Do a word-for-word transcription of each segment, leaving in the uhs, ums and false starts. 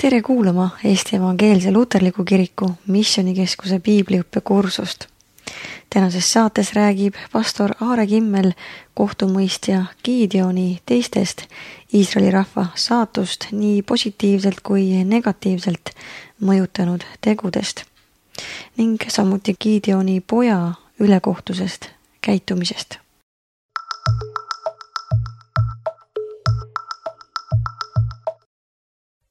Tere kuulama Eesti Evangeelse Luterliku Kiriku Missioonikeskuse piibliõppekursust. Tänases saates räägib pastor Aare Kimmel kohtumõistja Gideoni teistest Iisraeli rahva saatust nii positiivselt kui negatiivselt mõjutanud tegudest ning samuti Gideoni poja ülekohtusest käitumisest.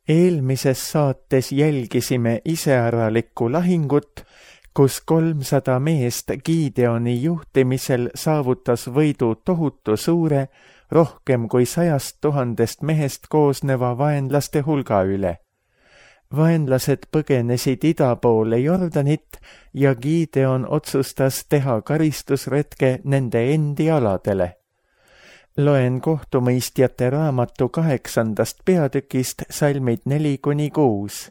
Eelmises saates jälgisime iseäralikku lahingut, kus kolmsada meest Gideoni juhtimisel saavutas võidu tohutu suure, rohkem kui sajast tuhandest mehest koosneva vaenlaste hulga üle. Vaenlased põgenesid ida poole Jordanit ja Gideon otsustas teha karistusretke nende endi aladele. Loen kohtumõistjate raamatu kaheksandast peatükist salmid neli kuni kuus.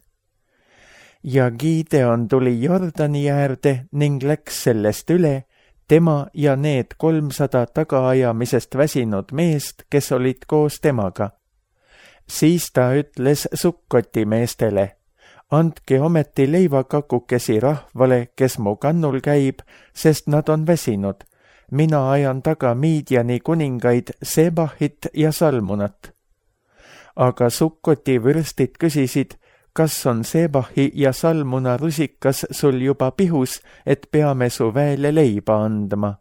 Ja Gideon tuli Jordani äärde ning läks sellest üle, tema ja need kolmsada tagaajamisest väsinud meest, kes olid koos temaga. Siis ta ütles Sukkoti meestele, andke ometi leivakakukesi rahvale, kes mu kannul käib, sest nad on väsinud. Mina ajan taga Midiani kuningaid Sebahit ja Salmunat. Aga Sukkoti vürstid küsisid, kas on Sebahi ja Salmuna rusikas sul juba pihus, et peame su väele leiba andma.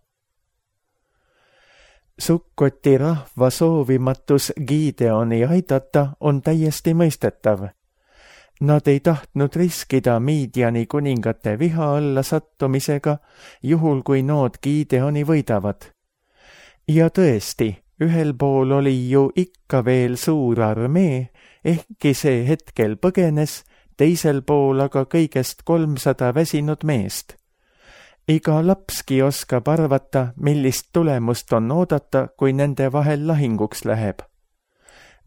Sukkoti rahva soovimatus Gideoni aidata on täiesti mõistetav. Nad ei tahtnud riskida Midiani kuningate viha alla sattumisega, juhul kui nood Gideoni võidavad. Ja tõesti, ühel pool oli ju ikka veel suur armee, ehkki see hetkel põgenes, teisel pool aga kõigest kolmsada väsinud meest. Iga lapski oskab arvata, millist tulemust on oodata, kui nende vahel lahinguks läheb.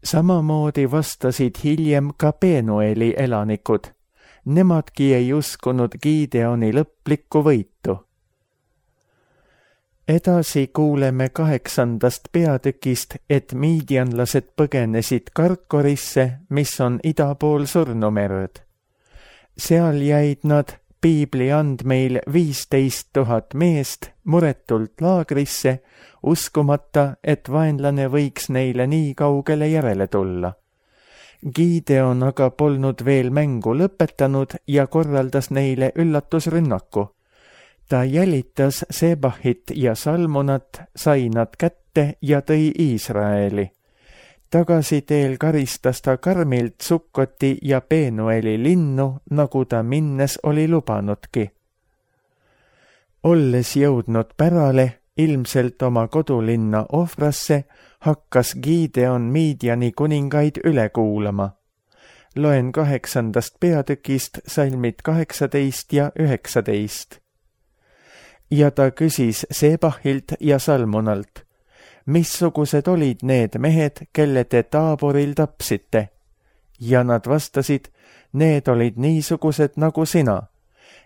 Samamoodi vastasid hiljem ka Penueli elanikud. Nemadki ei uskunud Gideoni lõplikku võitu. Edasi kuuleme kaheksandast peatükist, et miidianlased põgenesid Karkorisse, mis on ida pool Surnumerd. Seal jäid nad piibli andmeil viisteist tuhat meest muretult laagrisse, uskumata, et vaenlane võiks neile nii kaugele järele tulla. Gideon aga polnud veel mängu lõpetanud ja korraldas neile üllatusrünnaku. Ta jälitas Sebahit ja Salmunat, sai nad kätte ja tõi Iisraeli. Tagasiteel karistas ta karmilt Sukkoti ja Penueli linnu, nagu ta minnes oli lubanudki. Olles jõudnud pärale, ilmselt oma kodulinna Ofrasse, hakkas Gideon Midiani kuningaid üle kuulama. Loen kaheksandast peatükist salmid kaheksateist ja üheksateist. Ja ta küsis Sebahilt ja Salmunalt, missugused olid need mehed, kelle te Taaboril tapsite? Ja nad vastasid, need olid niisugused nagu sina,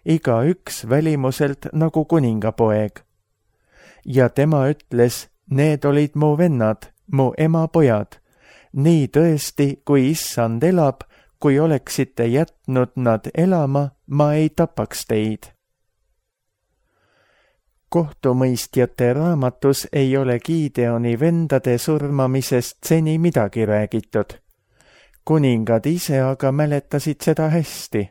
iga üks välimuselt nagu kuningapoeg. Ja tema ütles, need olid mu vennad, mu ema pojad. Nii tõesti, kui issand elab, kui oleksite jätnud nad elama, ma ei tapaks teid. Kohtumõistjate raamatus ei ole Gideoni vendade surmamisest seni midagi räägitud. Kuningad ise aga mäletasid seda hästi.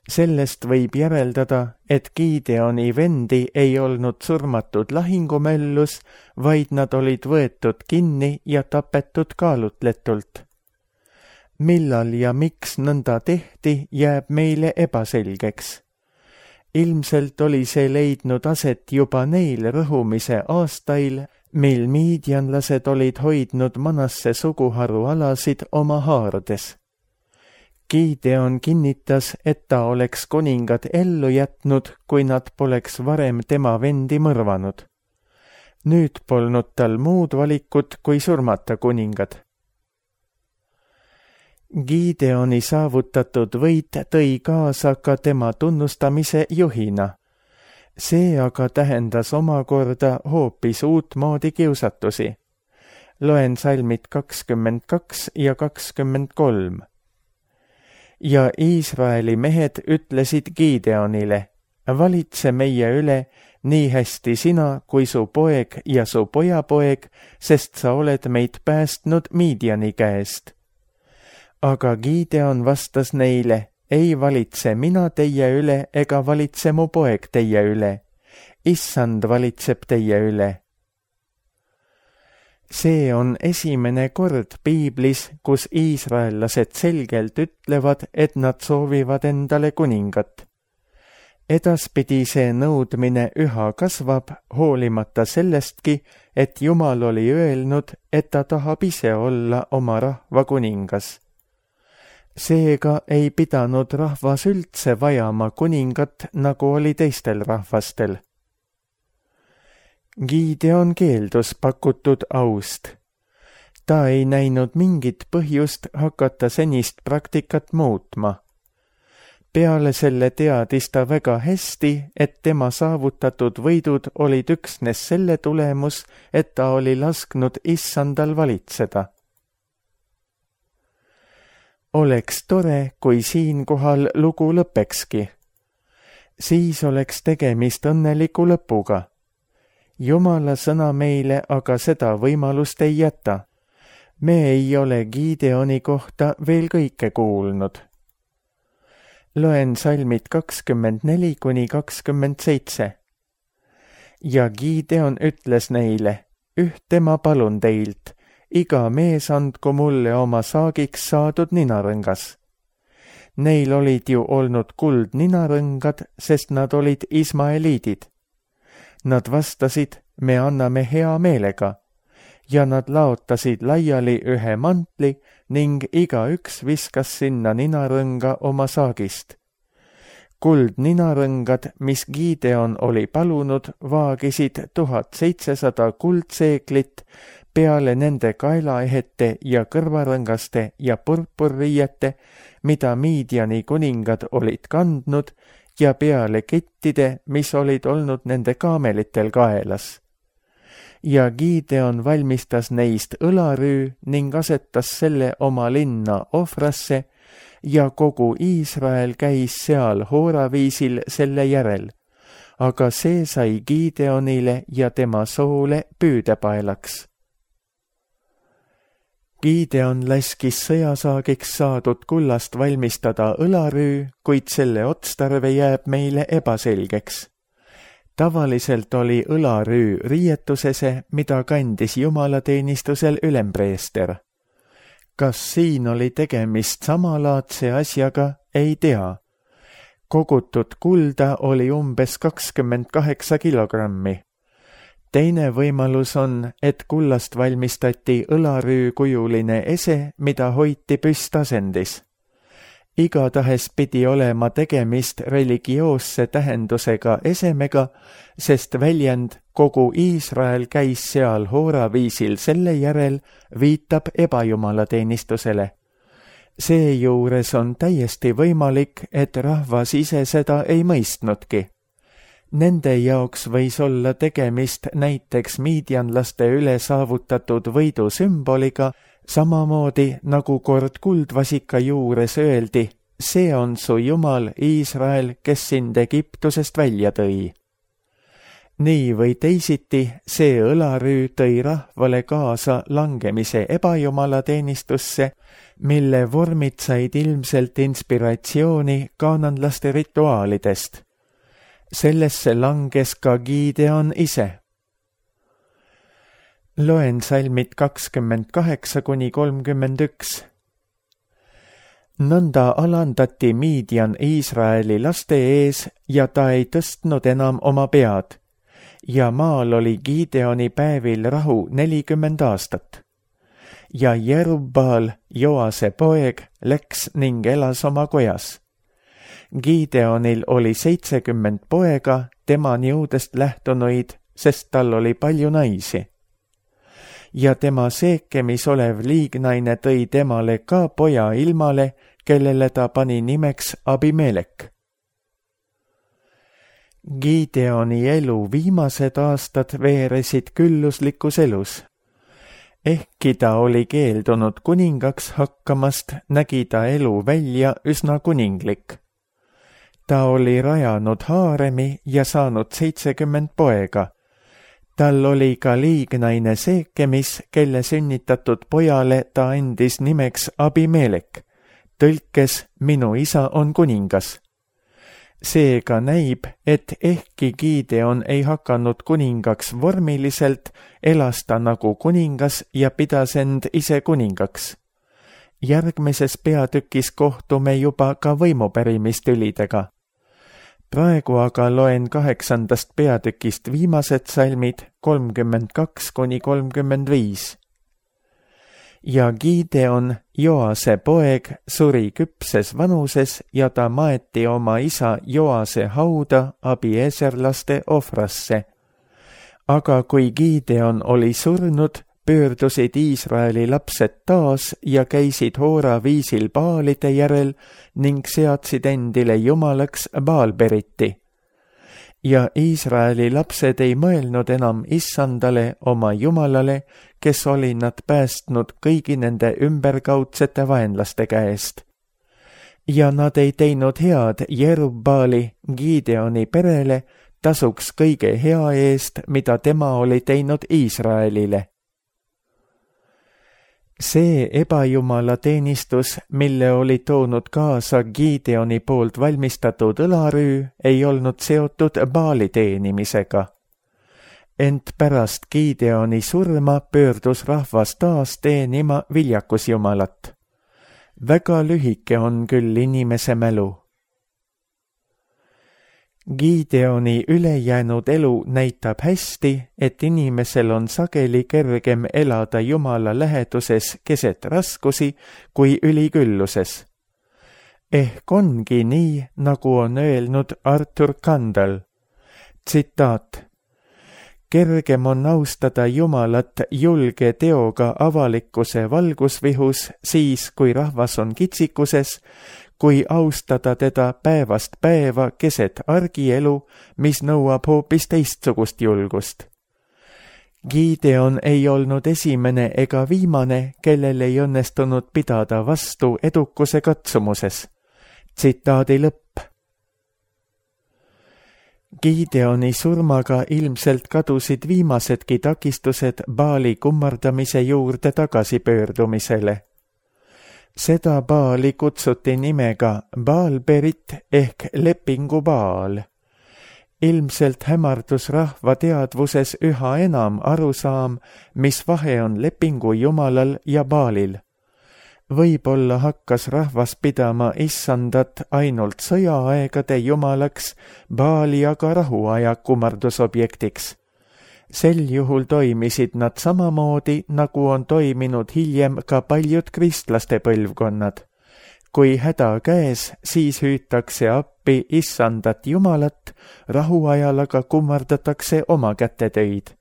Sellest võib järeldada, et Gideoni vendi ei olnud surmatud lahingumöllus, vaid nad olid võetud kinni ja tapetud kaalutletult. Millal ja miks nõnda tehti, jääb meile ebaselgeks. Ilmselt oli see leidnud aset juba neil rõhumise aastail, mil miidianlased olid hoidnud Manasse suguharu alasid oma haardes. Gideon kinnitas, et ta oleks kuningad ellu jätnud, kui nad poleks varem tema vendi mõrvanud. Nüüd polnud tal muud valikut, kui surmata kuningad. Gideoni saavutatud võit tõi kaasa ka tema tunnustamise juhina. See aga tähendas omakorda hoopis uutmoodi kiusatusi. Loen salmid kakskümmend kaks ja kakskümmend kolm. ja Iisraeli mehed ütlesid Gideonile, valitse meie üle nii hästi sina kui su poeg ja su pojapoeg, sest sa oled meid päästnud Midiani käest. Aga Gideon vastas neile, ei valitse mina teie üle ega valitse mu poeg teie üle. Issand valitseb teie üle. See on esimene kord piiblis, kus iisraellased selgelt ütlevad, et nad soovivad endale kuningat. Edaspidi see nõudmine üha kasvab, hoolimata sellestki, et Jumal oli öelnud, et ta tahab ise olla oma rahva kuningas. Seega ei pidanud rahvas üldse vajama kuningat, nagu oli teistel rahvastel. Gideon keeldus pakutud aust. Ta ei näinud mingit põhjust hakata senist praktikat muutma. Peale selle teadis ta väga hästi, et tema saavutatud võidud olid üksnes selle tulemus, et ta oli lasknud issandal valitseda. Oleks tore, kui siinkohal lugu lõpekski. Siis oleks tegemist õnneliku lõpuga. Jumala sõna meile aga seda võimalust ei jäta. Me ei ole Gideoni kohta veel kõike kuulnud. Loen salmid kakskümmend neli kuni kakskümmend seitse. Ja Gideon ütles neile, ühte ma palun teilt, iga mees andku mulle oma saagiks saadud ninarõngas. Neil olid ju olnud kuldninarõngad, sest nad olid ismaeliidid. Nad vastasid, me anname hea meelega, ja nad laotasid laiali ühe mantli ning igaüks viskas sinna ninarõnga oma saagist. Kuldninarõngad, mis Gideon oli palunud, vaagisid tuhat seitsesada kuldseeklit, peale nende kaelaehete ja kõrvarõngaste ja purpurriiete, mida Midiani kuningad olid kandnud, ja peale kettide, mis olid olnud nende kaamelitel kaelas. Ja Gideon valmistas neist õlarüü ning asetas selle oma linna Ofrasse ja kogu Iisrael käis seal hooraviisil selle järel, aga see sai Gideonile ja tema soole püüdepaelaks. Gideon laskis sõjasaagiks saadud kullast valmistada õlarüü, kuid selle otstarve jääb meile ebaselgeks. Tavaliselt oli õlarüü riietusese, mida kandis jumalateenistusel ülempreester. Kas siin oli tegemist samalaadse asjaga, ei tea. Kogutud kulda oli umbes kakskümmend kaheksa kilogrammi. Teine võimalus on, et kullast valmistati õlarüü kujuline ese, mida hoiti püstasendis. Igatahes pidi olema tegemist religioosse tähendusega esemega, sest väljend kogu Iisrael käis seal hooraviisil selle järel viitab ebajumalateenistusele. Seejuures on täiesti võimalik, et rahvas ise seda ei mõistnudki. Nende jaoks võis olla tegemist näiteks miidianlaste üle saavutatud võidu sümboliga, samamoodi nagu kord kuldvasika juures öeldi, see on su Jumal Iisrael, kes sind Egiptusest välja tõi. Nii või teisiti, see õlarüü tõi rahvale kaasa langemise ebajumalateenistusse, mille vormid said ilmselt inspiratsiooni kaananlaste rituaalidest. Sellesse langes ka Gideon ise. Loen salmid kakskümmend kaheksa kuni kolmkümmend üks. Nõnda alandati Midian Iisraeli laste ees ja ta ei tõstnud enam oma pead. Ja maal oli Gideoni päevil rahu nelikümmend aastat. Ja Jerubbaal, Joase poeg, läks ning elas oma kojas. Gideonil oli seitsekümmend poega, tema niudest lähtunuid, sest tal oli palju naisi. Ja tema seekemis olev liignaine tõi temale ka poja ilmale, kellele ta pani nimeks Abimelek. Gideoni elu viimased aastad veeresid külluslikus elus. Ehkki ta oli keeldunud kuningaks hakkamast, nägi ta elu välja üsna kuninglik. Ta oli rajanud haaremi ja saanud seitsekümmend poega. Tal oli ka liignaine Seekemis, kelle sünnitatud pojale ta andis nimeks Abimelek, tõlkes minu isa on kuningas. Seega näib, et ehkki Gideon ei hakanud kuningaks vormiliselt, elas ta nagu kuningas ja pidas end ise kuningaks. Järgmises peatükis kohtume juba ka võimupärimistülidega. Praegu aga loen kaheksandast peatükist viimased salmid kolmkümmend kaks kuni kolmkümmend viis. Ja Gideon, Joase poeg, suri küpses vanuses ja ta maeti oma isa Joase hauda abieserlaste ohvrasse. Aga kui Gideon oli surnud, pöördusid Iisraeli lapsed taas ja käisid hoora viisil baalide järel ning seadsid endile jumalaks Baalberiti. Ja Iisraeli lapsed ei mõelnud enam issandale oma jumalale, kes oli nad päästnud kõigi nende ümberkaudsete vaenlaste käest. Ja nad ei teinud head Jerubbaali, Gideoni perele, tasuks kõige hea eest, mida tema oli teinud Iisraelile. See ebajumala teenistus, mille oli toonud kaasa Gideoni poolt valmistatud õlarüü, ei olnud seotud Baali teenimisega. Ent pärast Gideoni surma pöördus rahvas taas teenima viljakusjumalat. Väga lühike on küll inimese mälu. Gideoni ülejäänud elu näitab hästi, et inimesel on sageli kergem elada Jumala läheduses keset raskusi kui ülikülluses. Ehk ongi nii, nagu on öelnud Arthur Kandel. Tsitaat. Kergem on austada Jumalat julge teoga avalikkuse valgusvihus siis, kui rahvas on kitsikuses, kui austada teda päevast päeva keset argielu, mis nõuab hoopis teistsugust julgust. Gideon ei olnud esimene ega viimane, kellel ei õnnestunud pidada vastu edukuse katsumuses. Tsitaadi lõpp. Gideoni surmaga ilmselt kadusid viimasedki takistused Baali kummardamise juurde tagasipöördumisele. Seda Baali kutsuti nimega Baalberit ehk lepingu Baal. Ilmselt hämardus rahva teadvuses üha enam arusaam, mis vahe on lepingu jumalal ja Baalil. Võib-olla hakkas rahvas pidama issandat ainult sõjaaegade jumalaks, Baali aga rahuaja kummardusobjektiks. Sel juhul toimisid nad samamoodi, nagu on toiminud hiljem ka paljud kristlaste põlvkonnad. Kui häda käes, siis hüütakse appi issandat jumalat, rahuajal aga kummardatakse oma kätetöid.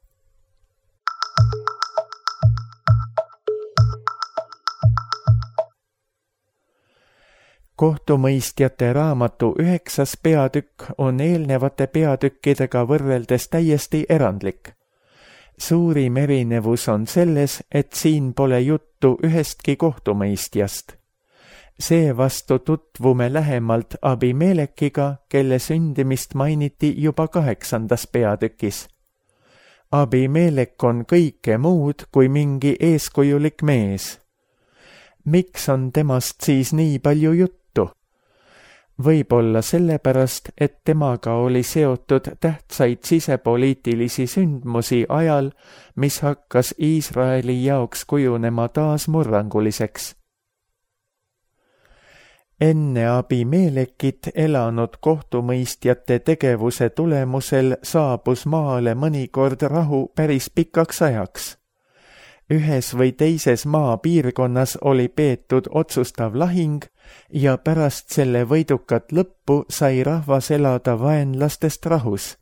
Kohtumõistjate raamatu üheksas peatükk on eelnevate peatükkidega võrreldes täiesti erandlik. Suurim erinevus on selles, et siin pole juttu ühestki kohtumõistjast. Seevastu tutvume lähemalt Abimelekiga, kelle sündimist mainiti juba kaheksandas peatükis. Abimelek on kõike muud kui mingi eeskujulik mees. Miks on temast siis nii palju juttu? Võib-olla sellepärast, et temaga oli seotud tähtsaid sisepoliitilisi sündmusi ajal, mis hakkas Iisraeli jaoks kujunema taas murranguliseks. Enne Abimelekit elanud kohtumõistjate tegevuse tulemusel saabus maale mõnikord rahu päris pikaks ajaks. Ühes või teises maapiirkonnas oli peetud otsustav lahing ja pärast selle võidukat lõppu sai rahvas elada vaenlastest rahus.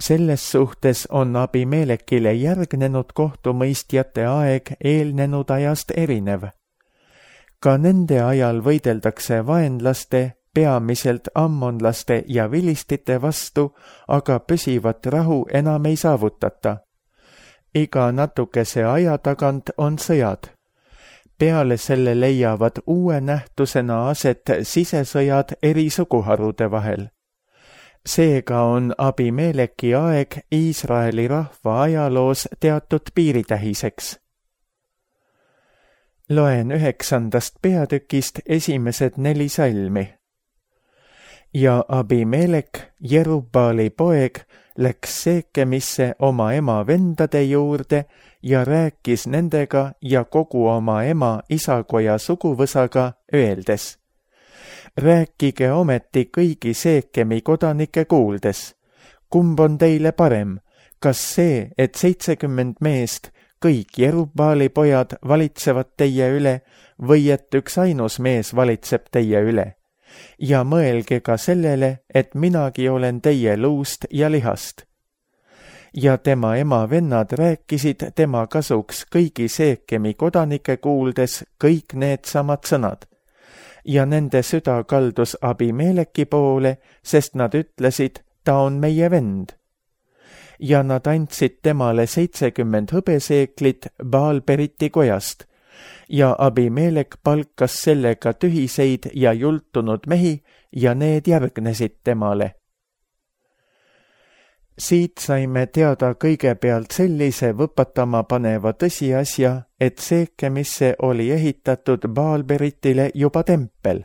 Selles suhtes on Abimelekile järgnenud kohtumõistjate aeg eelnenud ajast erinev. Ka nende ajal võideldakse vaenlaste, peamiselt ammonlaste ja vilistite vastu, aga püsivat rahu enam ei saavutata. iga natukese aja tagant on sõjad. Peale selle leiavad uue nähtusena aset sisesõjad eri suguharude vahel. Seega on Abimeleki aeg Iisraeli rahva ajaloos teatud piiritähiseks. Loen üheksandast peatükist esimesed neli salmi. Ja Abimelek, Jerubbaali poeg, läks Seekemisse oma ema vendade juurde ja rääkis nendega ja kogu oma ema isakoja suguvõsaga, öeldes: rääkige ometi kõigi Seekemi kodanike kuuldes, kumb on teile parem, kas see, et seitsekümmend meest, kõik Jerubbaali pojad valitsevad teie üle, või et üks ainus mees valitseb teie üle? Ja mõelge ka sellele, et minagi olen teie luust ja lihast. Ja tema ema vennad rääkisid tema kasuks kõigi Seekemi kodanike kuuldes kõik need samad sõnad. Ja nende süda kaldus Abimeleki poole, sest nad ütlesid, ta on meie vend. Ja nad andsid temale seitsekümmend hõbeseeklit Baal-Beriti kojast, ja Abimelek palkas sellega tühiseid ja jultunud mehi ja need järgnesid temale. Siit saime teada kõigepealt sellise võpatama paneva tõsiasja, et Seekemisse oli ehitatud Baal-Beritile juba tempel.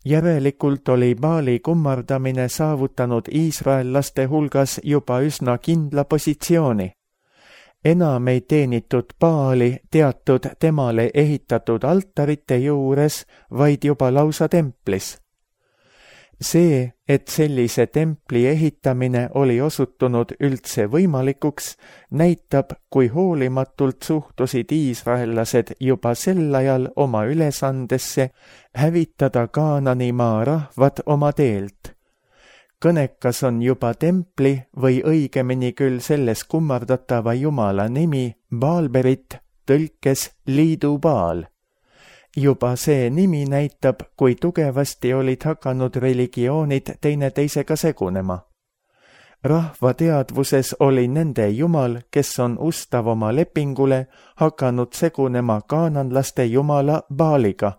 Järelikult oli Baali kummardamine saavutanud iisraellaste hulgas juba üsna kindla positsiooni. Enam ei teenitud Baali teatud temale ehitatud altarite juures, vaid juba lausa templis. See, et sellise templi ehitamine oli osutunud üldse võimalikuks, näitab, kui hoolimatult suhtusid iisraellased juba sel ajal oma ülesandesse hävitada Kaananimaa rahvad oma teelt. Kõnekas on juba templi või õigemini küll selles kummardatava jumala nimi Baal-Berit, tõlkes liidu Baal. Juba see nimi näitab, kui tugevasti olid hakanud religioonid teineteisega segunema. Rahva teadvuses oli nende jumal, kes on ustav oma lepingule, hakanud segunema kaananlaste jumala Baaliga.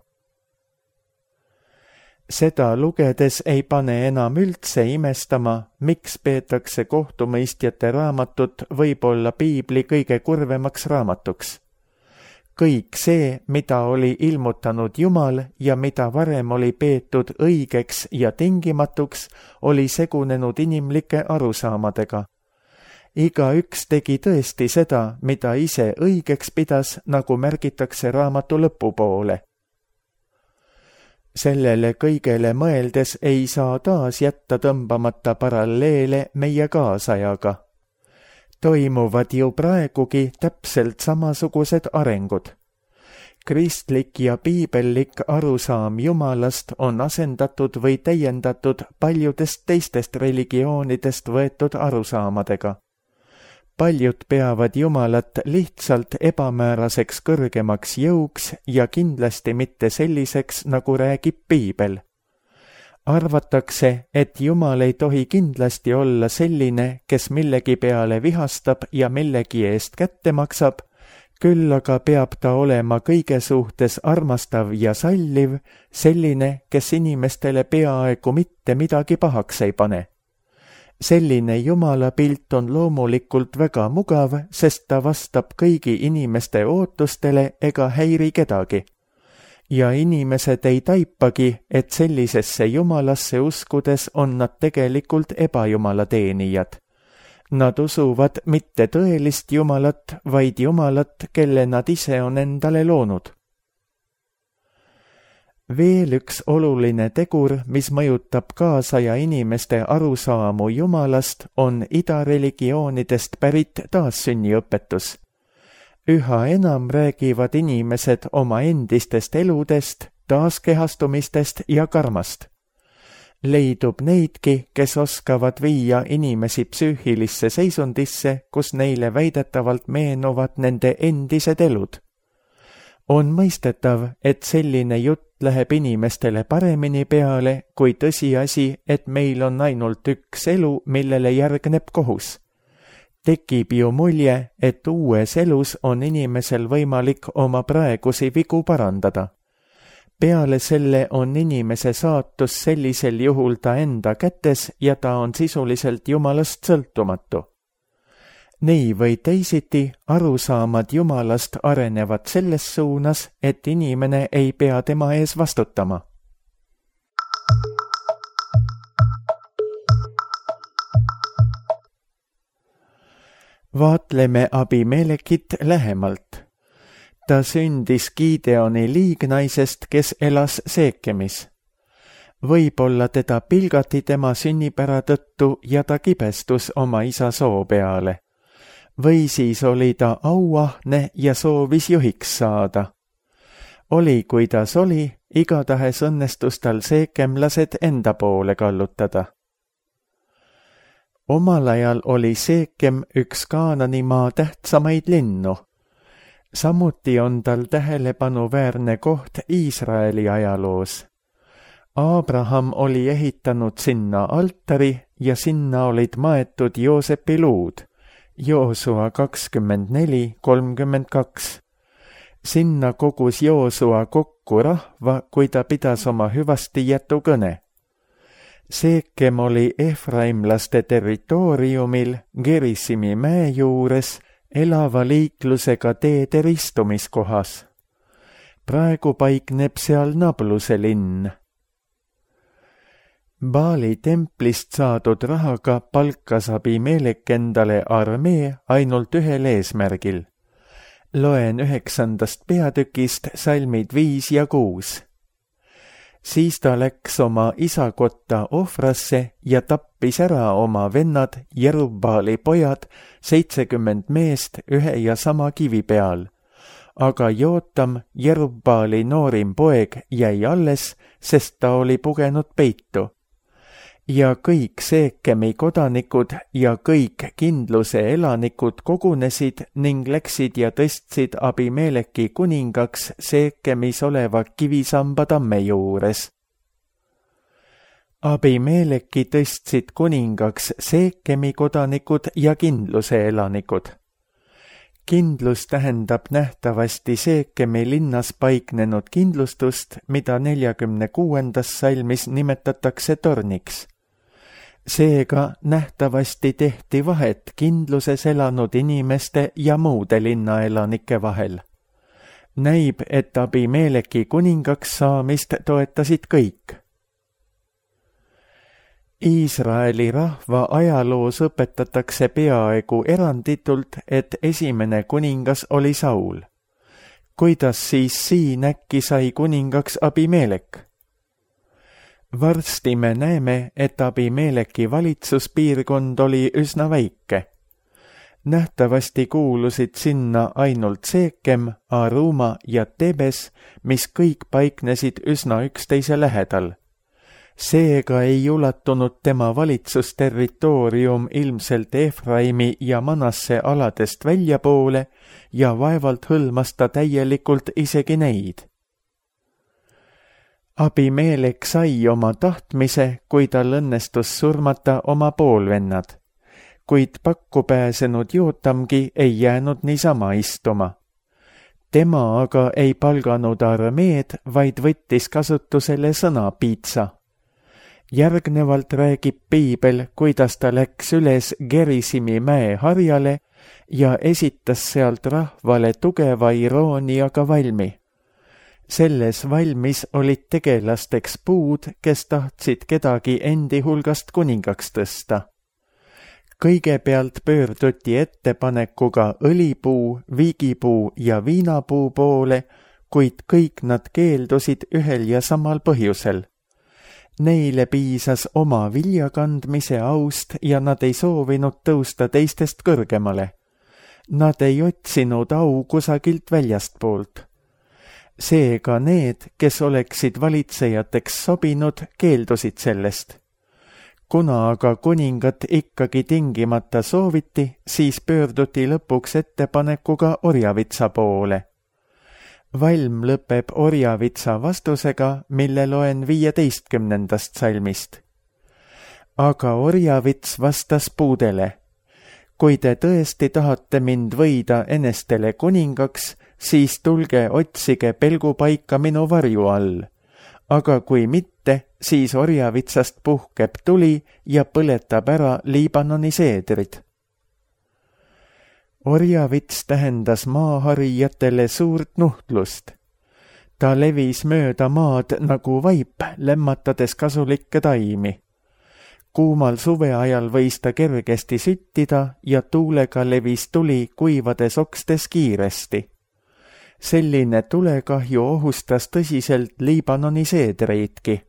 Seda lugedes ei pane enam üldse imestama, miks peetakse kohtumõistjate raamatut võib-olla piibli kõige kurvemaks raamatuks. Kõik see, mida oli ilmutanud Jumal ja mida varem oli peetud õigeks ja tingimatuks, oli segunenud inimlike arusaamadega. Igaüks tegi tõesti seda, mida ise õigeks pidas, nagu märgitakse raamatu lõpupoole. Sellele kõigele mõeldes ei saa taas jätta tõmbamata paralleele meie kaasajaga. Toimuvad ju praegugi täpselt samasugused arengud. Kristlik ja piibellik arusaam Jumalast on asendatud või täiendatud paljudest teistest religioonidest võetud arusaamadega. Paljud peavad Jumalat lihtsalt ebamääraseks kõrgemaks jõuks ja kindlasti mitte selliseks, nagu räägib piibel. Arvatakse, et Jumal ei tohi kindlasti olla selline, kes millegi peale vihastab ja millegi eest kätte maksab, küll aga peab ta olema kõige suhtes armastav ja salliv, selline, kes inimestele peaaegu mitte midagi pahaks ei pane. Selline Jumala pilt on loomulikult väga mugav, sest ta vastab kõigi inimeste ootustele ega häiri kedagi. Ja inimesed ei taipagi, et sellisesse Jumalasse uskudes on nad tegelikult ebajumala teenijad. Nad usuvad mitte tõelist Jumalat, vaid Jumalat, kelle nad ise on endale loonud. Veel üks oluline tegur, mis mõjutab kaasaja inimeste arusaamu Jumalast, on idareligioonidest pärit taassünniõpetus. Üha enam räägivad inimesed oma endistest eludest, taaskehastumistest ja karmast. Leidub neidki, kes oskavad viia inimesi psüühilisse seisundisse, kus neile väidetavalt meenuvad nende endised elud. On mõistetav, et selline jutt läheb inimestele paremini peale kui tõsiasi, et meil on ainult üks elu, millele järgneb kohus. tekib ju mulje, et uues elus on inimesel võimalik oma praegusi vigu parandada. Peale selle on inimese saatus sellisel juhul ta enda kätes ja ta on sisuliselt Jumalast sõltumatu. Nii või teisiti arusaamad Jumalast arenevad selles suunas, et inimene ei pea tema ees vastutama. Vaatleme Abimelekit lähemalt. Ta sündis Gideoni liignaisest, kes elas Seekemis. Võib-olla teda pilgati tema sünnipära tõttu ja ta kibestus oma isa soo peale. Või siis oli ta auahne ja soovis juhiks saada. Oli kuidas oli, igatahes õnnestus tal seekemlased enda poole kallutada. Omal ajal oli Seekem üks Kaananimaa tähtsamaid linnu. Samuti on tal tähelepanuväärne koht Iisraeli ajaloos. Abraham oli ehitanud sinna altari ja sinna olid maetud Joosepi luud. Joosua kakskümmend neli kolmkümmend kaks. Sinna kogus Joosua kokku rahva, kui ta pidas oma hüvasti jätukõne. Seekem oli efraimlaste territooriumil Gerisimi mäe juures elava liiklusega teede ristumiskohas. Praegu paikneb seal Nabluse linn. Baali templist saadud rahaga palkas Abimelek endale armee ainult ühel eesmärgil. Loen üheksandast peatükist salmid viis ja kuus. Siis ta läks oma isakotta Ofrasse ja tappis ära oma vennad Jerubbaali pojad, seitsekümmend meest ühe ja sama kivi peal. Aga Jootam, Jerubbaali noorim poeg, jäi alles, sest ta oli pugenud peitu. Ja kõik Seekemi kodanikud ja kõik kindluse elanikud kogunesid ning läksid ja tõstsid Abimeleki kuningaks Seekemis oleva kivisamba tamme juures. Abimeleki tõstsid kuningaks Seekemi kodanikud ja kindluse elanikud. Kindlus tähendab nähtavasti Seekemi linnas paiknenud kindlustust, mida neljakümne kuuendas salmis nimetatakse torniks. Seega nähtavasti tehti vahet kindluses elanud inimeste ja muude linnaelanike vahel. Näib, et Abimeleki kuningaks saamist toetasid kõik. Iisraeli rahva ajaloos õpetatakse peaaegu eranditult, et esimene kuningas oli Saul. Kuidas siis siin äkki sai kuningaks Abimelek? Varsti me näeme, et Abimeleki valitsuspiirkond oli üsna väike. Nähtavasti kuulusid sinna ainult Seekem, Aruma ja Tebes, mis kõik paiknesid üsna üksteise lähedal. Seega ei ulatunud tema valitsusterritoorium ilmselt Efraimi ja Manasse aladest väljapoole ja vaevalt hõlmas ta täielikult isegi neid. Abimelek sai oma tahtmise, kui tal õnnestus surmata oma poolvennad, kuid pakku pääsenud Jootamgi ei jäänud niisama istuma. Tema aga ei palganud armeed, vaid võttis kasutusele sõna piitsa. Järgnevalt räägib piibel, kuidas ta läks üles Gerisimi mäe harjale ja esitas sealt rahvale tugeva irooniaga valmi. Selles valmis olid tegelasteks puud, kes tahtsid kedagi endi hulgast kuningaks tõsta. Kõigepealt pöörduti ettepanekuga õlipuu, viigipuu ja viinapuu poole, kuid kõik nad keeldusid ühel ja samal põhjusel. Neile piisas oma viljakandmise aust ja nad ei soovinud tõusta teistest kõrgemale. Nad ei otsinud au kusagilt väljastpoolt. Seega need, kes oleksid valitsejateks sobinud, keeldusid sellest. Kuna aga kuningat ikkagi tingimata sooviti, siis pöörduti lõpuks ettepanekuga Orjavitsa poole. Valm lõpeb Orjavitsa vastusega, mille loen viieteistkümnendast salmist. Aga Orjavits vastas puudele. kui te tõesti tahate mind võida enestele kuningaks, siis tulge otsige pelgupaika minu varju all. Aga kui mitte, siis orjavitsast puhkeb tuli ja põletab ära Liibanoni seedrid. Orjavits tähendas maaharijatele suurt nuhtlust. Ta levis mööda maad nagu vaip, lämmatades kasulikke taimi. Kuumal suveajal võis ta kergesti süttida ja tuulega levis tuli kuivades okstes kiiresti. Selline tulekahju ohustas tõsiselt Liibanoni seedreidki.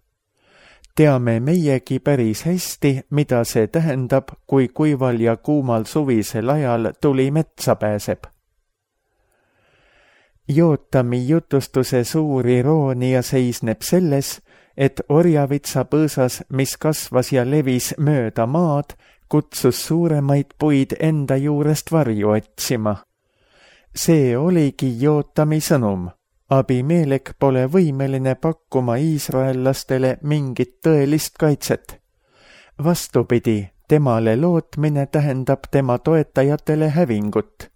Teame meiegi päris hästi, mida see tähendab, kui kuival ja kuumal suvisel ajal tuli metsa pääseb. Jootami jutustuse suur iroonia seisneb selles, et orjavitsa põõsas, mis kasvas ja levis mööda maad, kutsus suuremaid puid enda juurest varju otsima. See oligi Jootami sõnum. Abimelek pole võimeline pakkuma iisraellastele mingit tõelist kaitset. Vastupidi, temale lootmine tähendab tema toetajatele hävingut.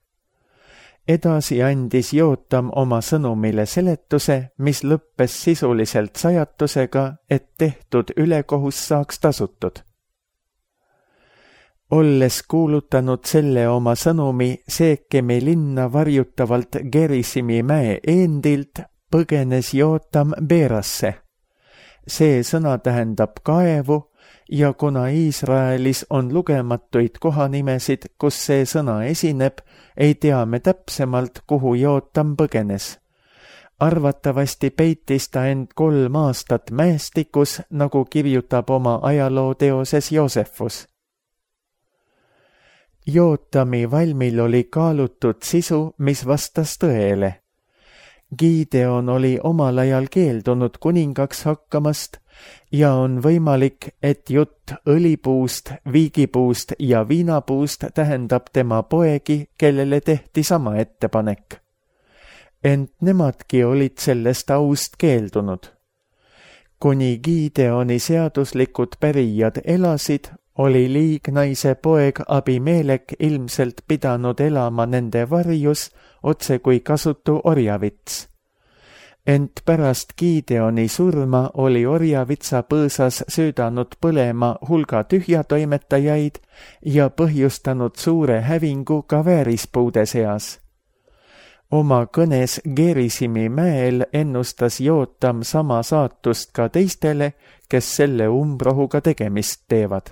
Edasi andis Jootam oma sõnumile seletuse, mis lõppes sisuliselt sajatusega, et tehtud ülekohus saaks tasutud. Olles kuulutanud selle oma sõnumi Seekemi linna varjutavalt Gerisimi mäe eendilt, põgenes Jootam Beerasse. See sõna tähendab kaevu ja kuna Iisraelis on lugematuid kohanimesid, kus see sõna esineb, ei tea me täpsemalt, kuhu Jootam põgenes. Arvatavasti peitis ta end kolm aastat mäestikus, nagu kirjutab oma ajalooteoses Joosefus. Jootami valmil oli kaalutud sisu, mis vastas tõele. Gideon oli omal ajal keeldunud kuningaks hakkamast ja on võimalik, et jutt õlipuust, viigipuust ja viinapuust tähendab tema poegi, kellele tehti sama ettepanek. Ent nemadki olid sellest aust keeldunud. Kuni Gideoni seaduslikud pärijad elasid, oli liignaise poeg Abimelek ilmselt pidanud elama nende varjus otse kui kasutu orjavits. Ent pärast Gideoni surma oli orjavitsa põõsas söödanud põlema hulga tühjatoimetajaid ja põhjustanud suure hävingu ka väärispuude seas. Oma kõnes Gerisimi mäel ennustas Jootam sama saatust ka teistele, kes selle umbrohuga tegemist teevad.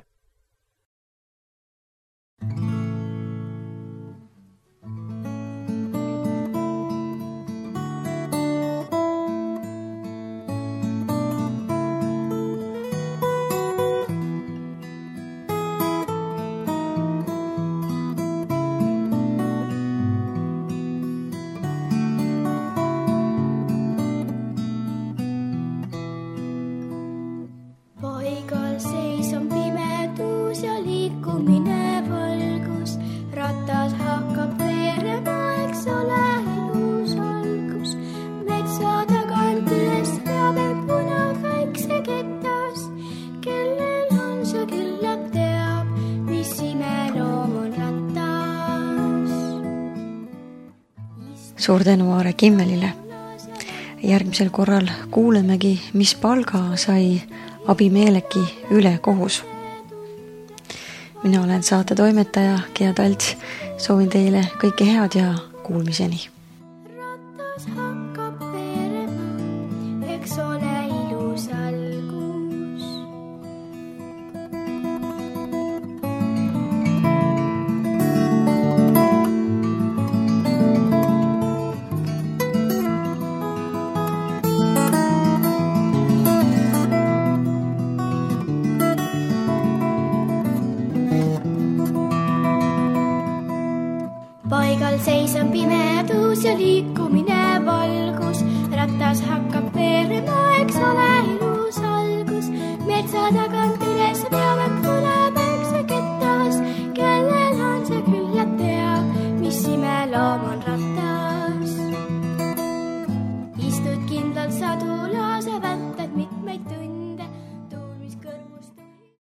Paigal seis on pimedus ja liikumine valgus, ratas hakkab veerema, eks ole ilus algus. Metsa tagant üles peab end punaväikse kettas, kellel on see küllap teab, mis imeloom on rattas. Suur tänu Aare Kimmelile. Järgmisel korral kuulemegi, mis palga sai Abimeleki ülekohus. Mina olen saate toimetaja Gea Talts, soovin teile kõike head ja kuulmiseni.